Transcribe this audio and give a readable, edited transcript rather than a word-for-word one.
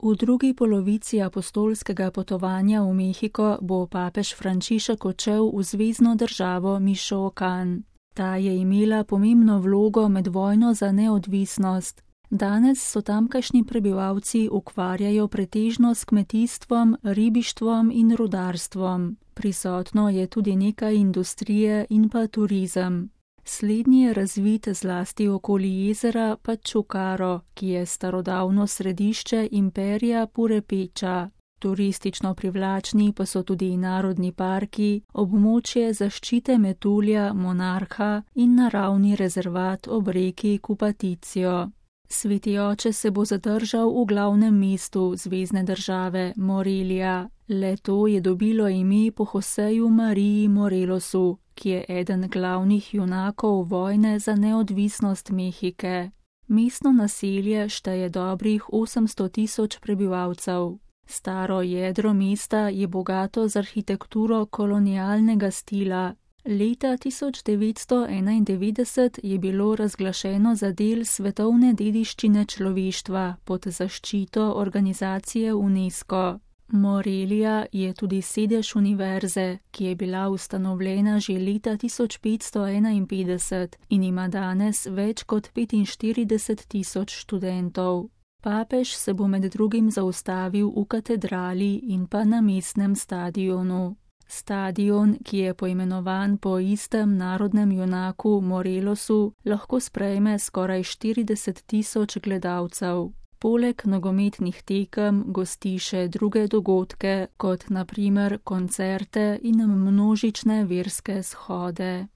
V drugi polovici apostolskega potovanja v Mehiko bo papež Frančišek odšel v zvezno državo Mišoakan. Ta je imela pomembno vlogo med vojno za neodvisnost. Danes so tamkajšnji prebivalci ukvarjajo pretežno s kmetijstvom, ribištvom in rudarstvom. Prisotno je tudi nekaj industrije in pa turizem. Slednji je razvit zlasti okoli jezera Pačukaro, ki je starodavno središče imperija Purepeča. Turistično privlačni pa so tudi narodni parki, območje zaščite metulja Monarha in naravni rezervat ob reki Kupaticijo. Sveti oče se bo zadržal v glavnem mestu zvezne države Morelija. Le-to je dobilo ime po Joseju Mariji Morelosu, ki je eden glavnih junakov vojne za neodvisnost Mehike. Mestno naselje šteje dobrih 800.000 prebivalcev. Staro jedro mesta je bogato z arhitekturo kolonialnega stila. Leta 1991 je bilo razglašeno za del svetovne dediščine človeštva pod zaščito organizacije UNESCO. Morelija je tudi sedež univerze, ki je bila ustanovljena že leta 1551 in ima danes več kot 45.000 študentov. Papež se bo med drugim zaustavil v katedrali in pa na mestnem stadionu. Stadion, ki je poimenovan po istem narodnem junaku Morelosu, lahko sprejme skoraj 40.000 gledalcev. Poleg nogometnih tekem gosti še druge dogodke, kot na primer koncerte in množične verske shode.